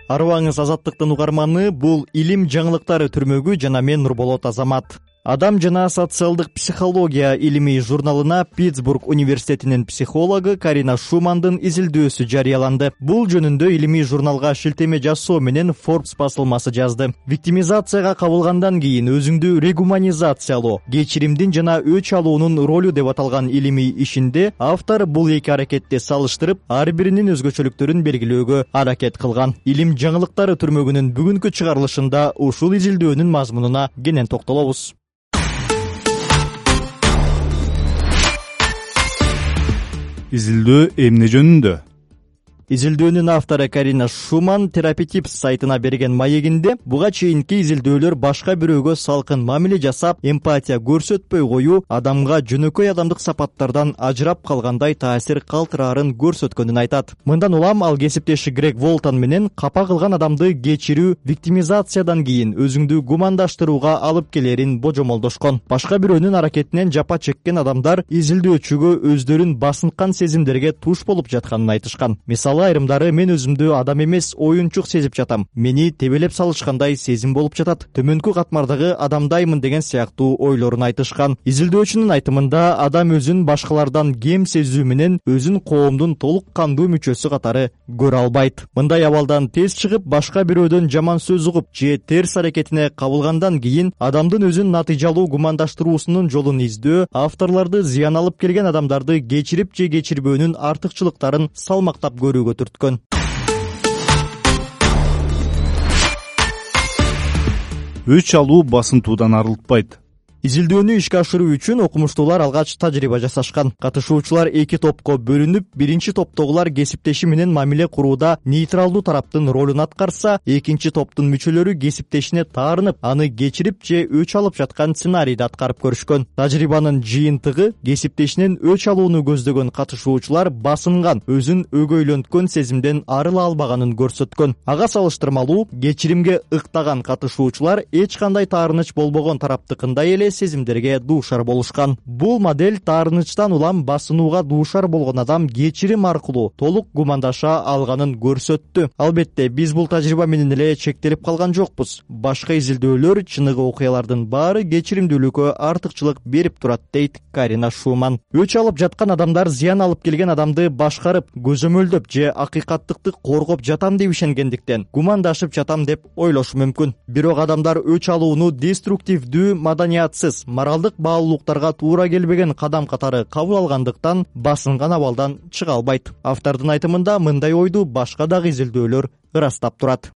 Арыбаңыз Азаттыктын угарманы, бул илим жаңылыктары түрмөгү жана мен Нурболот Азамат. Адам жана социалдык психология илимий журналына Питтсбург университетинин психологу Карина Шумандын изилдөөсү жарыяланды. Бул жөнүндө илимий журналга шилтеме жасоо менен Forbes басылмасы жазды. Виктимизацияга кабылгандан кийин өзүңдү регуманизациялоо, кечиримдин жана өч алуунун ролу деп аталган илимий ишинде автор бул эки аракетти салыштырып, ар биринин өзгөчөлүктөрүн белгилөөгө аракет кылган. Илим жаңылыктары түрмөгүнүн бүгүнкү чыгарылышында ушул изилдөөнүн мазмунуна кенен токтолобуз. Изилдөө эмне жөнүндө? Изилдөөнүн автору Карина Шуман Терапитипс сайтына берген маегинде буга чейинки изилдөөлөр башка бирөөгө салкын мамиле жасап, эмпатия көрсөтпөй коюу адамга жөнөкөй адамдык сапаттардан ажырап калгандай таасир калтыраарын көрсөткөнүн айтат. Мындан улам ал кесиптеши Грег Волтон менен капа кылган адамды кечирүү виктимизациядан кийин өзүңдү гумандаштырууга алып келерин божомолдошкон. Башка бирөөнүн аракетинен жапа чеккен адамдар изилдөөчүгө өздөрүн басынткан сезимдерге туш болуп жатканын айтышкан. Айрымдары мен өзүмдү адам эмес, оюнчук сезип жатам. Мени тебелеп салышкандай сезим болуп жатат. Төмөнкү катмардагы адамдаймын деген сыяктуу ойлорун айтышкан. Изилдөөчүнүн айтымында адам өзүн башкалардан кем сезүү менен өзүн коомдун толук кандуу мүчөсү катары көрө албайт. Мындай абалдан тез чыгып, башка бирөөдөн жаман сөз угуп же терс аракетине кабылгандан кийин адамдын өзүн натыйжалуу гумандаштыруусунун жолун издөө авторлорду зыян алып келген адамдарды кечирип же кечирбөөнүн артыкчылыктарын салмактап көрүүгө түрткөн. Өч алуу басынтуудан арылтпайт. Изилдөөнү ишке ашыруу үчүн окумуштуулар алгач тажрыйба жасашкан. Катышуучулар эки топко бөлүнүп, биринчи топтогулар кесиптеши менен мамиле курууда нейтралдуу тараптын ролун аткарса, экинчи топтун мүчөлөрү кесиптешине таарынып, аны кечирип же өч алып жаткан сценарийди аткарып көрүшкөн. Тажрыйбанын жыйынтыгы кесиптешинен өч алууну көздөгөн катышуучулар басынган, өзүн өгөйлөнткөн сезимден арыла албаганын көрсөткөн. Ага салыштырмалуу, кечиримге ыктаган катышуучулар эч кандай таарыныч болбогон тараптыкындай эле сезимдерге дуушар болушкан. Бул модель таарынычтан улам басынууга дуушар болгон адам кечирим аркылуу толук гумандаша алганын көрсөттү. Албетте, биз бул тажрыйба менен эле чектелип калган жокпуз. Башка изилдөөлөр чыныгы окуялардын баары кечиримдүүлүккө артыкчылык берип турат, дейт Карина Шуман. Өч алып жаткан адамдар зыян алып келген адамды башкарып, көзөмөлдөп же акыйкаттыкты коргоп жатам деп ишенгендиктен гумандашып жатам деп ойлошу мүмкүн. Бирок адамдар өч алууну деструктивдүү, маданиятсыз, моралдык баалуулуктарга туура келбеген кадам катары кабыл алгандыктан басынган абалдан чыга албайт. Автордун айтымында мындай ойду башка дагы изилдөөлөр ырастап турат.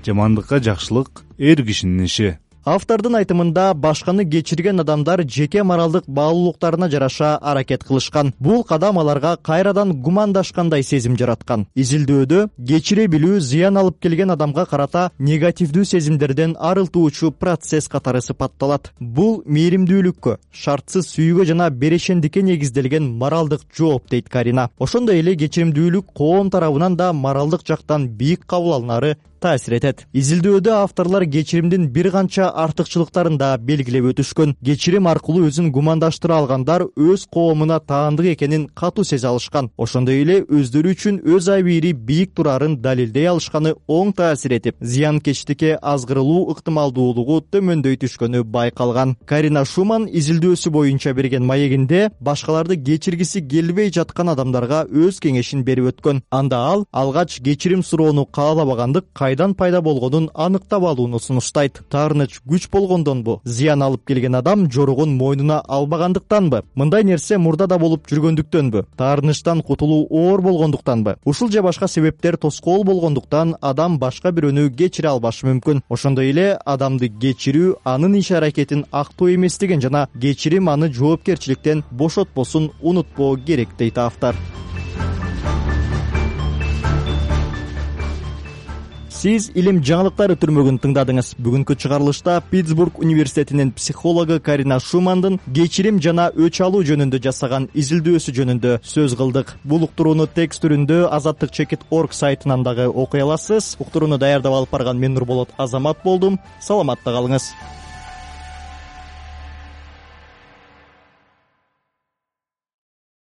Жамандыкка жакшылык эр кишинин иши. Автордун айтымында башканы кечирген адамдар жеке моралдык баалуулуктарына жараша аракет кылышкан. Бул кадам аларга кайрадан гумандашкандай сезим жараткан. Изилдөөдө кечире билүү зыян алып келген адамга карата негативдүү сезимдерден арылтуучу процесс катары сыпатталат. Бул мээримдүүлүккө, шартсыз сүйүүгө жана берешендикке негизделген моралдык жооп, дейт Карина. Ошондой эле кечиримдүүлүк коом тарабынан да моралдык жактан бийик кабыл алынары таасир этет. Изилдөөдө авторлор кечиримдин бир канча артыкчылыктарын да белгилеп өтүшкөн. Кечирим аркылуу өзүн гумандаштыра алгандар өз коомуна таандык экенин катуу сезе алышкан. Ошондой эле өздөрү үчүн өз абийири бийик турарын далилдей алышканы оң таасир этип, зыянкечтикке азгырылуу ыктымалдуулугу төмөндөй түшкөнү байкалган. Карина Шуман изилдөөсү боюнча берген маегинде башкаларды кечиргиси келбей жаткан адамдарга өз кеңешин берип өткөн. Анда ал алгач кечирим суроону каалабагандык кайдан пайда болгонун аныктап алууну сунуштайт. Таарыныч күч болгондонбу? Зыян алып келген адам жоругун мойнуна албагандыктанбы? Мындай нерсе мурда да болуп жүргөндүктөнбү? Таарынычтан кутулуу оор болгондуктанбы? Ушул же башка себептер тоскоол болгондуктан адам башка бирөөнү кечире албашы мүмкүн. Ошондой эле адамды кечирүү анын иш аракетин актоо эместигин жана кечирим аны жоопкерчиликтен бошотпосун унутпоо керек, дейт автор. Сиз илим жаңылыктары түрмөгүн тыңдадыңыз. Бүгүнкү чыгарылышта Питтсбург университетинин психологу Карина Шумандын кечирим жана өч алуу жөнүндө жасаган изилдөөсү жөнүндө сөз кылдык. Бул уктурууну текст түрүндө azattik.org сайтынан дагы окуй аласыз. Уктурууну даярдап алып барган мен Нурболот Азамат болдум. Саламатта калыңыз.